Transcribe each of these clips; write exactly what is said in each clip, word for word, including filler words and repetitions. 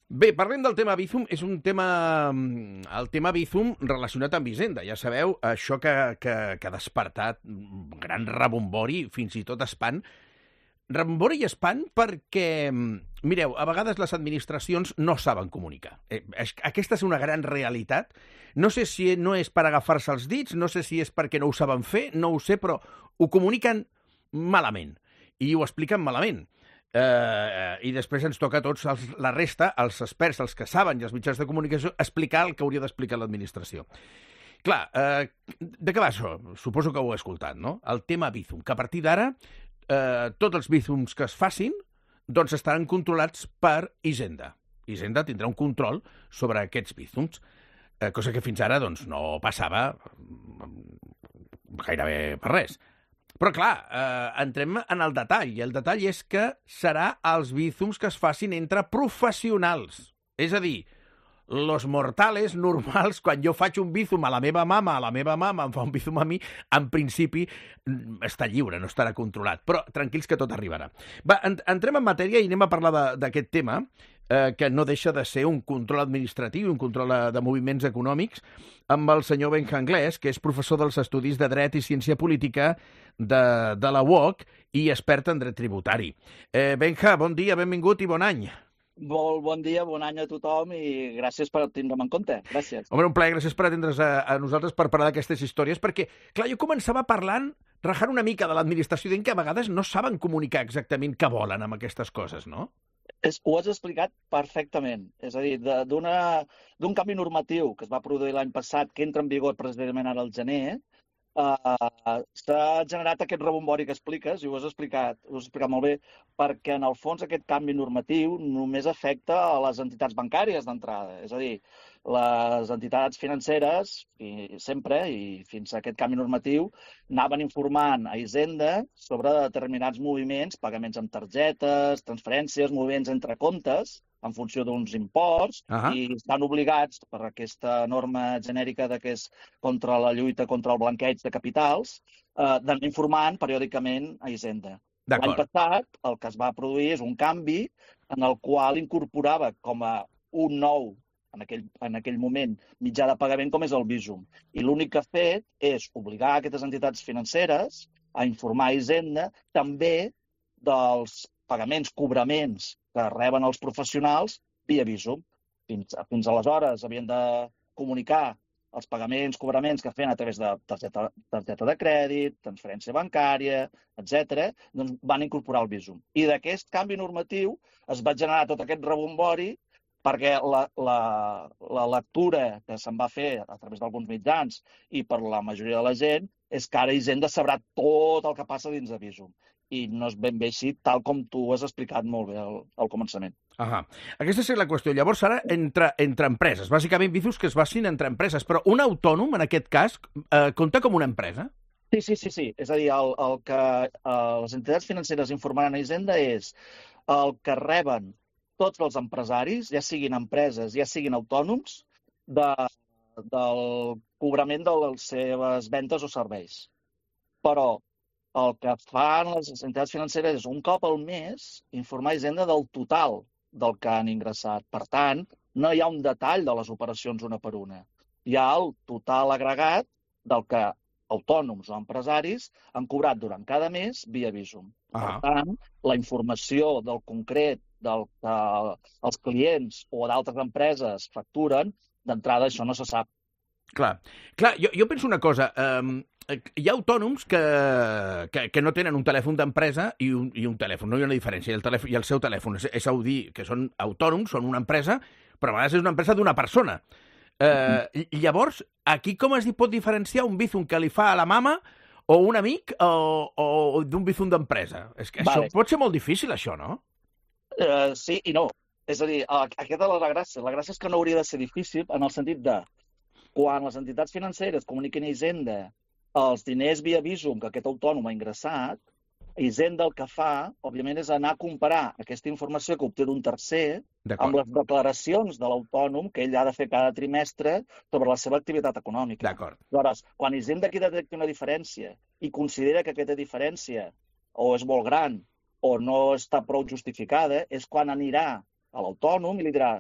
Bé, parlem del tema Bizum. És un tema... El tema Bizum relacionat amb Hisenda. Ja sabeu, això que, que, que ha despertat gran rebombori, fins i tot espant. Rebombori i espant perquè, mireu, a vegades les administracions no saben comunicar. Eh, aquesta és una gran realitat. No sé si no és per agafar-se els dits, no sé si és perquè no ho saben fer, no ho sé, però ho comuniquen malament. I ho expliquen malament. Uh, i després ens toca a tots els, la resta, els experts, els que saben i els mitjans de comunicació, explicar el que hauria d'explicar l'administració. Clar, uh, de què va això? Suposo que ho heu escoltat, no? El tema Bizum, que a partir d'ara uh, tots els Bizums que es facin doncs estaran controlats per Hisenda. Hisenda tindrà un control sobre aquests Bizums, uh, cosa que fins ara doncs, no passava gairebé per res. Però, clar, eh, entrem en el detall, i el detall és que serà els Bizums que es facin entre professionals. És a dir, los mortales normals, quan jo faig un Bizum a la meva mama, a la meva mama em fa un Bizum a mi, en principi està lliure, no estarà controlat. Però tranquils que tot arribarà. Va, entrem en matèria i anem a parlar d'aquest tema, eh, que no deixa de ser un control administratiu, un control de moviments econòmics, amb el senyor Benja Anglès, que és professor dels estudis de Dret i Ciència Política de, de la U O C i expert en dret tributari. Eh, Benja, bon dia, benvingut i bon any. Molt bon dia, bon any a tothom i gràcies per tindre'm en compte. Gràcies. Home, un plaer, gràcies per atendre's a, a nosaltres per parlar d'aquestes històries, perquè, clar, jo començava parlant, rajant una mica de l'administració, dient que a vegades no saben comunicar exactament què volen amb aquestes coses, no? És, ho has explicat perfectament. És a dir, d'un canvi normatiu que es va produir l'any passat, que entra en vigor precisament ara al gener, uh, s'ha generat aquest rebombori que expliques, i ho has explicat, ho has explicat molt bé, perquè en el fons aquest canvi normatiu només afecta a les entitats bancàries d'entrada. És a dir, les entitats financeres, i sempre, i fins a aquest canvi normatiu, anaven informant a Hisenda sobre determinats moviments, pagaments amb targetes, transferències, moviments entre comptes, en funció d'uns imports, uh-huh. i estan obligats, per aquesta norma genèrica de que és contra la lluita contra el blanqueig de capitals, eh, d'anar informant periòdicament a Hisenda. L'any passat, el que es va produir és un canvi en el qual incorporava com a un nou, en aquell, en aquell moment, mitjà de pagament com és el Bizum. I l'únic que ha fet és obligar aquestes entitats financeres a informar a Hisenda també dels pagaments, cobraments que reben els professionals via Bizum. Fins, fins aleshores havien de comunicar els pagaments, cobraments que feien a través de targeta, targeta de crèdit, transferència bancària, etcètera, doncs van incorporar el Bizum. I d'aquest canvi normatiu es va generar tot aquest rebombori perquè la, la, la lectura que se'n va fer a través d'alguns mitjans i per la majoria de la gent és que ara Hisenda sabrà tot el que passa dins de Bizum. I no és ben bé així, tal com tu has explicat molt bé al, al començament. Ahà. Aquesta és la qüestió. Llavors, ara, entre, entre empreses, bàsicament Bizums que es facin entre empreses, però un autònom, en aquest cas, eh, compta com una empresa? Sí, sí, sí, sí. És a dir, el, el que eh, les entitats financeres informaran a Hisenda és el que reben tots els empresaris, ja siguin empreses, ja siguin autònoms, de, del cobrament de les seves vendes o serveis. Però el que fan les entitats financeres és un cop al mes informar a Hisenda del total del que han ingressat. Per tant, no hi ha un detall de les operacions una per una. Hi ha el total agregat del que autònoms o empresaris han cobrat durant cada mes via Bizum. Ah. Per tant, la informació del concret del que els clients o d'altres empreses facturen, d'entrada això no se sap. Clar, Clar jo, jo penso una cosa. Um, hi ha autònoms que, que, que no tenen un telèfon d'empresa i, un, i un telèfon. No hi ha una diferència. I el, telèfon, i el seu telèfon és, és a dir que són autònoms, són una empresa, però a vegades és una empresa d'una persona. Uh, i llavors, aquí com es pot diferenciar un Bizum que li fa a la mama o un amic o, o d'un Bizum d'empresa? És que vale. Això pot ser molt difícil, això, no? Uh, sí i no. És a dir, aquesta és la gràcia. La gràcia és que no hauria de ser difícil en el sentit de quan les entitats financeres comuniquen a Hisenda els diners via Bizum que aquest autònom ha ingressat, Hisenda el que fa, òbviament, és anar a comparar aquesta informació que obté d'un tercer amb les declaracions de l'autònom que ell ha de fer cada trimestre sobre la seva activitat econòmica. D'acord. Llavors, quan Hisenda aquí detecta una diferència i considera que aquesta diferència o és molt gran o no està prou justificada, és quan anirà a l'autònom i li dirà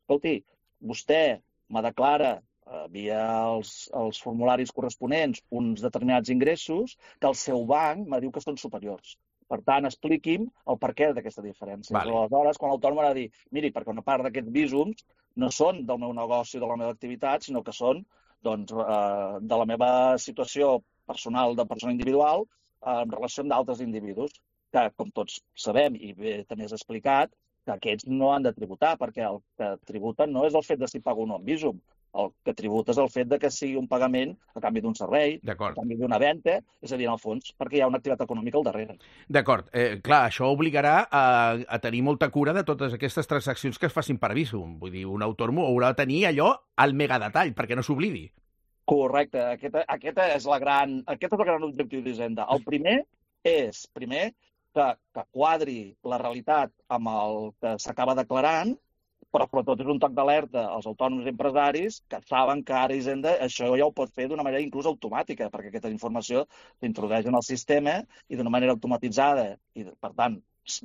escolti, vostè me declara eh, via els, els formularis corresponents uns determinats ingressos que el seu banc me diu que són superiors. Per tant, expliqui'm el perquè d'aquesta diferència. Vale. Aleshores, quan l'autònom ha de dir, miri, perquè una part d'aquests visums no són del meu negoci o de la meva activitat, sinó que són doncs, eh, de la meva situació personal de persona individual eh, en relació amb d'altres individus, que, com tots sabem, i bé també has explicat, que aquests no han de tributar, perquè el que tributen no és el fet de si pago o no un visum. El que tributa és el fet de que sigui un pagament a canvi d'un servei, a canvi d'una venda, és a dir, en el fons, perquè hi ha una activitat econòmica al darrere. D'acord. Eh, clar, això obligarà a, a tenir molta cura de totes aquestes transaccions que es facin per visum. Vull dir, un autònom haurà de tenir allò al megadetall, perquè no s'oblidi. Correcte. Aquest, aquest, és la gran, aquest és el gran objectiu d'Hisenda. El primer és, primer, que, que quadri la realitat amb el que s'acaba declarant, però sobretot és un toc d'alerta als autònoms i empresaris que saben que ara Hisenda això ja ho pot fer d'una manera inclús automàtica, perquè aquesta informació s'introdueix en el sistema i d'una manera automatitzada i, per tant,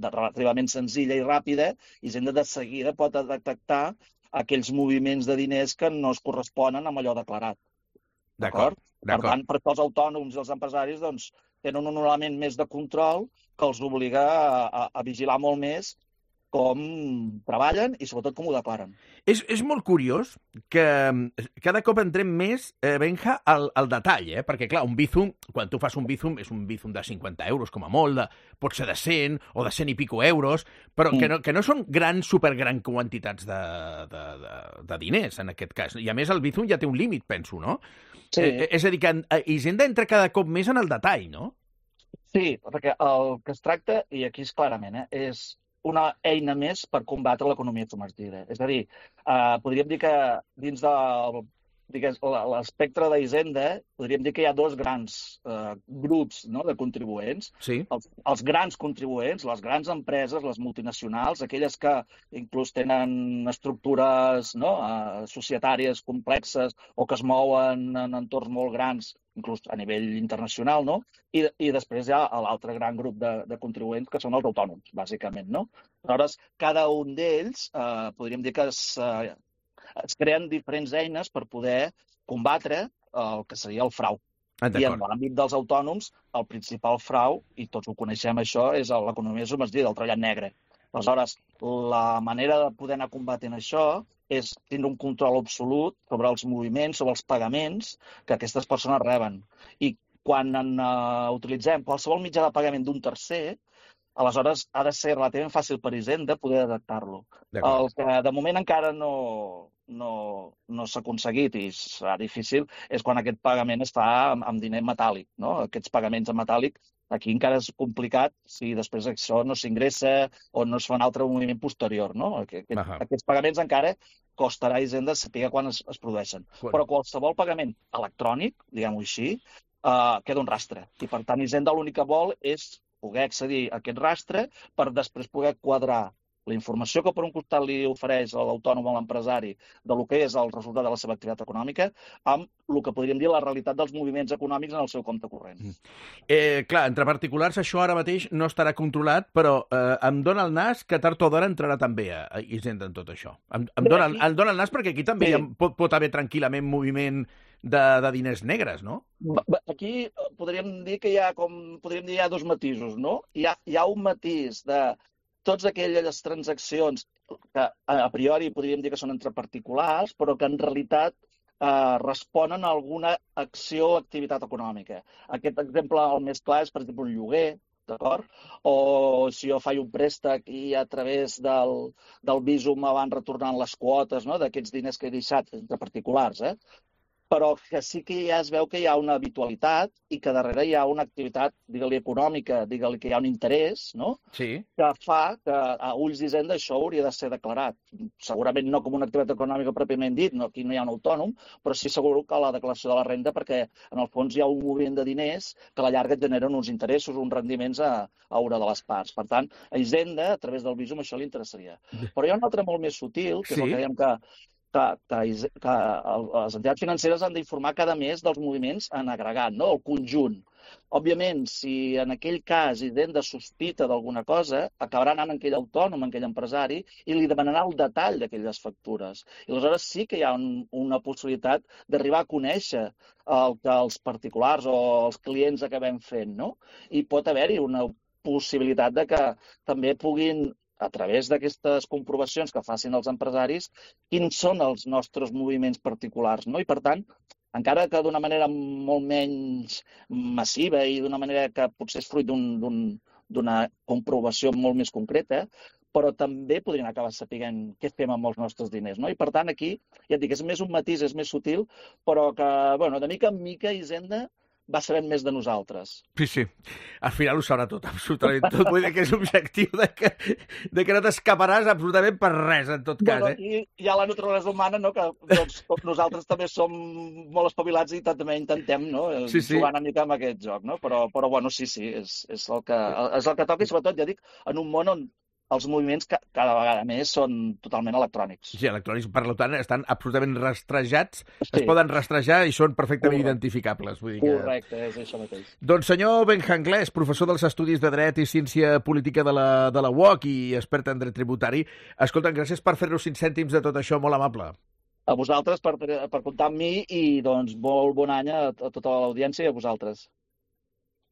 de relativament senzilla i ràpida, Hisenda de seguida pot detectar aquells moviments de diners que no es corresponen amb allò declarat. D'acord? Per tant, per tots els autònoms i els empresaris doncs, tenen un element més de control que els obliga a, a, a vigilar molt més com treballen i sobretot com ho declaren. És, és molt curiós que cada cop entrem més, eh, Benja, al, al detall, eh? Perquè, clar, un Bizum, quan tu fas un Bizum, és un Bizum de cinquanta euros com a molt, de, pot ser de cent o de cent i pico euros, però mm. que, no, que no són grans, supergrans quantitats de, de, de, de diners, en aquest cas. I, a més, el Bizum ja té un límit, penso, no? Sí. Eh, és a dir, que Hisenda entra cada cop més en el detall, no? Sí, perquè el que es tracta, i aquí és clarament, eh, és una eina més per combatre l'economia submergida. És a dir, eh, podríem dir que dins del l'espectre d'Hisenda, podríem dir que hi ha dos grans eh, grups no, de contribuents. Sí. Els, els grans contribuents, les grans empreses, les multinacionals, aquelles que inclús tenen estructures no, eh, societàries complexes o que es mouen en entorns molt grans, inclús a nivell internacional, no? I, i després hi ha l'altre gran grup de, de contribuents, que són els autònoms, bàsicament, no? Aleshores, cada un d'ells, eh, podríem dir que es, eh, es creen diferents eines per poder combatre el que seria el frau. Ah, I en l'àmbit dels autònoms, el principal frau, i tots ho coneixem això, és l'economia submergida, el treballat negre. Aleshores, la manera de poder anar combatent això és tenir un control absolut sobre els moviments, sobre els pagaments que aquestes persones reben. I quan en, uh, utilitzem qualsevol mitjà de pagament d'un tercer, aleshores ha de ser relativament fàcil per Hisenda poder detectar-lo. El que de moment encara no, no, no s'ha aconseguit i serà difícil és quan aquest pagament es fa amb, amb diner metàl·lic. No? Aquests pagaments en metàl·lic, aquí encara és complicat si després això no s'ingressa o no es fa un altre moviment posterior. No? Aquest, uh -huh. Aquests pagaments encara costarà a Hisenda saber quan es, es produeixen. Bueno. Però qualsevol pagament electrònic, diguem-ho així, uh, queda un rastre. I per tant Hisenda l'únic que vol és poder accedir a aquest rastre per després poder quadrar la informació que per un costat li ofereix l'autònom o l'empresari de lo que és el resultat de la seva activitat econòmica amb el que podríem dir la realitat dels moviments econòmics en el seu compte corrent. Eh, clar, entre particulars això ara mateix no estarà controlat, però eh, em dona el nas que tard o d'hora entrarà també a, a Hisenda en tot això. Em, em, dona, em dona el nas perquè aquí també sí. hi ha, pot, pot haver tranquil·lament moviment de, de diners negres, no? Aquí podríem dir que hi ha, com podríem dir, hi ha dos matisos, no? Hi ha, hi ha un matís de totes aquelles transaccions que a priori podríem dir que són entre particulars, però que en realitat eh, responen a alguna acció o activitat econòmica. Aquest exemple, el més clar, és, per exemple, un lloguer, d'acord? O si jo faig un préstec i a través del, del Bizum me van retornant les quotes no? d'aquests diners que he deixat entre particulars, eh? Però que sí que ja es veu que hi ha una habitualitat i que darrere hi ha una activitat, digue-li econòmica, digue-li que hi ha un interès, no? Sí. Que fa que a ulls d'Hisenda això hauria de ser declarat. Segurament no com una activitat econòmica pròpiament dit, no, aquí no hi ha un autònom, però sí segur que a la declaració de la renda, perquè en el fons hi ha un moviment de diners que a la llarga generen uns interessos, uns rendiments a, a una de les parts. Per tant, a Hisenda, a través del Bizum, això li interessaria. Però hi ha un altre molt més sutil, que és sí. el que dèiem que que, que, que les entitats financeres han d'informar cada mes dels moviments en agregat, no? El conjunt. Òbviament, si en aquell cas Hisenda sospita d'alguna cosa, acabarà anant en aquell autònom, en aquell empresari, i li demanarà el detall d'aquelles factures. I aleshores sí que hi ha un, una possibilitat d'arribar a conèixer el que els particulars o els clients acabem fent, no? I pot haver-hi una possibilitat de que també puguin, a través d'aquestes comprovacions que facin els empresaris, quins són els nostres moviments particulars, no? I, per tant, encara que d'una manera molt menys massiva i d'una manera que potser és fruit d'una comprovació molt més concreta, però també podrien acabar sapiguent què fem amb els nostres diners, no? I, per tant, aquí, ja et dic, és més un matís, és més sutil, però que, bueno, de mica en mica, Hisenda va sabent més de nosaltres. Sí, sí. Al final ho sabrà tot, absolutament tot. Vull dir que és l'objectiu de, que, de que no t'escaparàs absolutament per res, en tot cas. Bueno, eh? I hi ha la naturalesa humana, no? Que doncs, nosaltres també som molt espavilats i també intentem, no? Sí, sí. Jugar una mica amb aquest joc, no? Però, però bueno, sí, sí, és, és, el que, és el que toca i, sobretot, ja dic, en un món on els moviments cada vegada més són totalment electrònics. Sí, electrònics, per tant, estan absolutament rastrejats, sí. Es Sí. poden rastrejar i són perfectament Correcte. identificables. Vull dir que... Correcte, és això mateix. Doncs senyor Benjanglés, professor dels Estudis de Dret i Ciència Política de la, de la U O C i expert en dret tributari, escolta'm, gràcies per fer-nos cinc cèntims de tot això, molt amable. A vosaltres per, per comptar amb mi i doncs molt bon any a, a tota l'audiència i a vosaltres.